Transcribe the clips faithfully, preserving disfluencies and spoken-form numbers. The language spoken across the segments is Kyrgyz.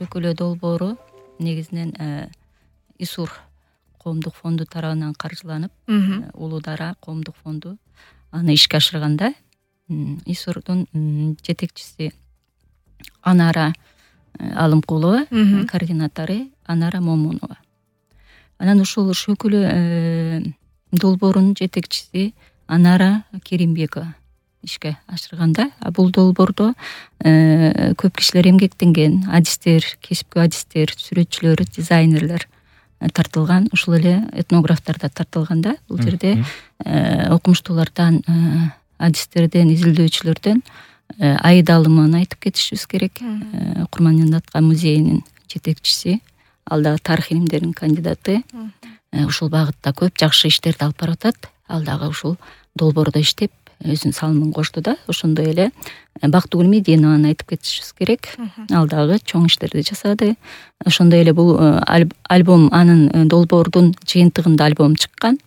Шөкөлө долбоору негизинен ИСУР коомдук фонду тарабынан каржыланып, Улуу Дара коомдук фонду аны ишке ашырганда, ИСУРдун жетекчиси Анара Алымкулова, координатору Анара Момунова. Анан ушул Шөкөлө долбоорунун жетекчиси Анара Керимбекова ишке ашырганда, бул долбоордо көп кишилер эмгектенген, адистер, кесипкөй адистер, сүрөтчүлөр, дизайнерлер тартылган, ушул эле этнографтар да тартылганда, бул жерде окумуштуулардан, адистерден, изилдөөчүлөрдөн Аида Алымованы айтып кетишибиз керек. Курман Атка музейинин жетекчиси, ал дагы тарых илимдеринин кандидаты. Ушул багытта көп жакшы иштерди алып баратат. Ал дагы ушул долбоордо иштеп, өзүнүн салымын кошту да. Ошондой эле Бактыгүл Мединованы айтып кетишибиз керек. Ал дагы чоң иштерди жасады. Ошондой эле бул альбом, анын долбоордун жыйынтыгында альбом чыккан.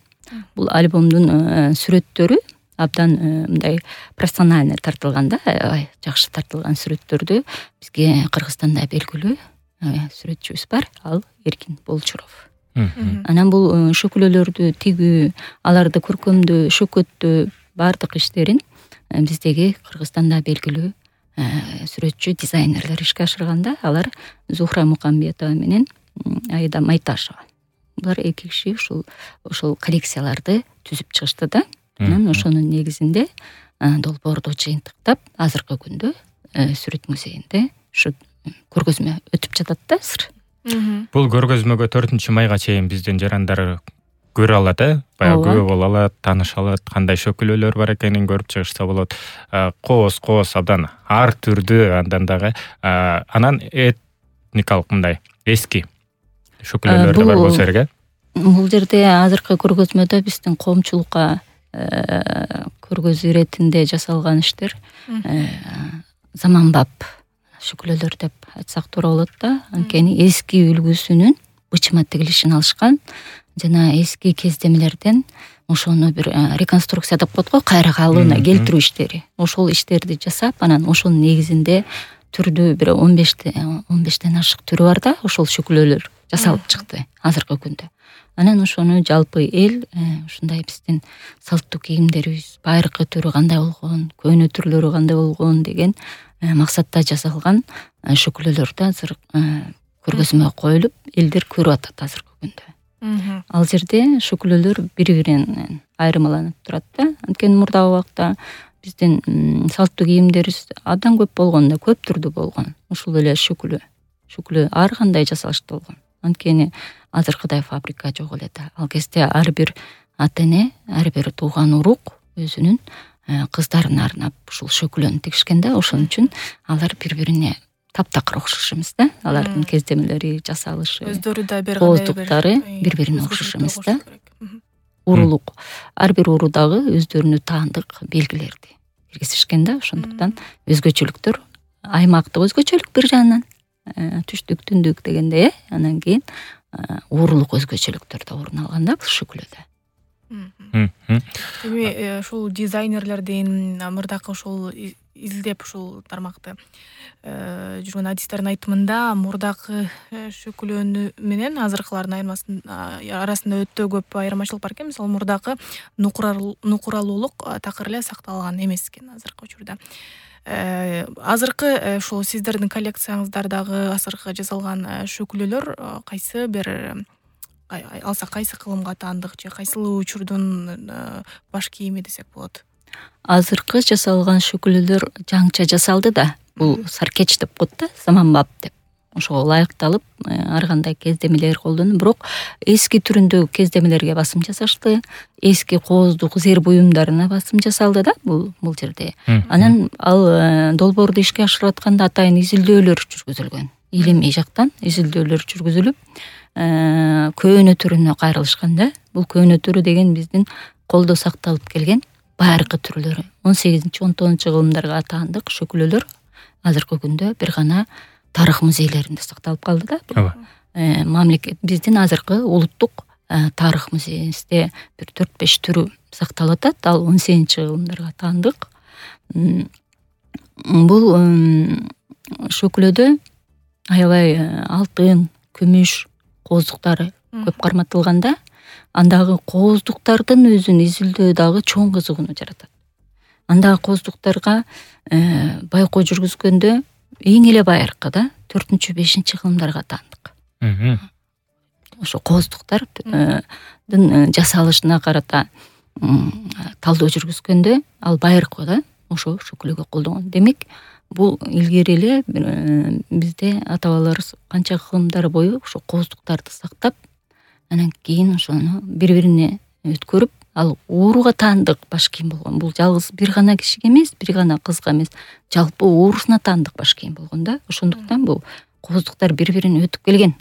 Бул альбомдун сүрөттөрү абдан мындай профессионально тартылган да, жакшы тартылган сүрөттөрдү бизге Кыргызстанда белгилүү сүрөтчүбүз бар, ал Эркин Болчуров. Анан бул шөкөлөлөрдү тигүү, аларды көркөмдөө, шөкөттөө бардык иштерин биздеги Кыргызстанда белгилүү сүрөтчү, дизайнерлер ишке ашырганда, алар Зухра Мукамбетова менен Аида Майташева. Булар эки киши ушул ошол коллекцияларды түзүп чыгышты да. Анан ошонун негизинде долбоорду жыйынтыктап, азыркы күндө Сүрөт музейинде ушу көргөзмө өтүп жатат да азыр. Бул көргөзмөгө төртүнчү майга чейин биздин жарандар көрө алат, э? Баягы күбө боло алат, тааныша алат, кандай шөкөлөлөр бар экенин көрүп чыгышса болот. Кооз-кооз абдан ар түрдүү, андан дагы анан этникалык мындай эски шөкөлөлөр бар болсо керек, э? Бул жерде азыркы көргөзмөдө биздин коомчулукка көргөзүү иретинде жасалган иштер заманбап шөкөлөлөр деп айтсак туура болот да. Анткени эски үлгүсүнүн бычыма тигилишин алышкан жана эски кездемелерден ошону бир реконструкция деп коет го, кайра калыбына келтирүү иштери. Ошол иштерди жасап, анан ошонун негизинде түрдүү бир он бештен ашык түрү бар да, ошол шөкөлөлөр жасалып чыкты азыркы күндө. Анан ошону жалпы эл ушундай биздин салттуу кийимдерибиз байыркы түрү кандай болгон, көөнө түрлөрү кандай болгон деген максатта жасалган шөкөлөлөрдү азыр көргөзмө коюлуп, элдер көрүп атат азыркы күндө. Ал жерде шөкөлөлөр бири-биринен айырмаланып турат да. Анткени мурдагы убакта биздин салттуу кийимдерибиз абдан көп болгон да, көп түрдүү болгон. Ушул эле шөкөлө, шөкөлө ар кандай жасалыштуу болгон. Анткени азыркыдай фабрика жок эле да. Ал кезде ар бир ата эне, ар бир тууган урук өзүнүн кыздарына арнап ушул шөкөлөнү тигишкен да. Ошон үчүн алар бири-бирине таптакыр окшош эмес да. Алардын кездемелери, жасалышы, өздөрү да бир кооздуктары бири-бирине окшош эмес да. Урулук, ар бир уру дагы өздөрүнө таандык белгилерди киргизишкен да. Ошондуктан өзгөчөлүктөр, аймактык өзгөчөлүк бир жагынан, түштүк, түндүк дегендей, э, анан кийин урулук өзгөчөлүктөр да орун алган да бул шөкөлөдө. Эми ушул дизайнерлердин мурдакы ушул изилдеп ушул тармакты жүргөн адистердин айтымында, мурдакы шөкөлөнү менен азыркылардын арасында өтө көп айырмачылык бар экен. Мисалы, мурдакы нукуралуулук такыр эле сакталган эмес экен азыркы учурда. Азыркы ушул сиздердин коллекцияңыздардагы азыркы жасалган шөкөлөлөр кайсы бир алса кайсы кылымга таандык же кайсыл учурдун баш кийими десек болот? Азыркы жасалган шөкөлөлөр жаңча жасалды да. Бул саркеч деп коет да, заманбап деп. Ошого ылайыкталып, ар кандай кездемелер колдонуп, бирок эски түрүндөгү кездемелерге басым жасашты. Эски кооздук зер буюмдарына басым жасалды да бул бул жерде. Анан ал долбоорду ишке ашырып атканда атайын изилдөөлөр жүргүзүлгөн. Илимий жактан изилдөөлөр жүргүзүлүп, көөнө түрүнө кайрылышкан да. Бул көөнө түрү деген биздин колдо сакталып келген байыркы түрлөрү. он сегизинчи он тогузунчу кылымдарга таандык шөкөлөлөр азыркы күндө бир гана тарых музейлеринде сакталып калды да. Мамлекет биздин азыркы улуттук тарых музейибизде бир төрт беш түрү сакталып атат. Ал он сегизинчи кылымдарга таандык. Бул шөкөлөдө аябай алтын, күмүш кооздуктары көп карматылганда, андагы кооздуктардын өзүн изилдөө дагы чоң кызыгууну жаратат. Андагы кооздуктарга байкоо жүргүзгөндө эң эле байыркы да төртүнчү бешинчи кылымдарга таандык. Ошо кооздуктардын жасалышына карата талдоо жүргүзгөндө ал байыркы да ошо шөкүлөгө колдонгон. Демек, бул илгери эле бизде ата бабаларыбыз канча кылымдар бою ошо кооздуктарды сактап, анан кийин ошону бири-бирине өткөрүп, ал ууруга таандык баш кийим болгон. Бул жалгыз бир гана кишиге эмес, бир гана кызга эмес, жалпы уурусуна таандык баш кийим болгон да. Ошондуктан бул кооздуктар бири-бирин өтүп келген.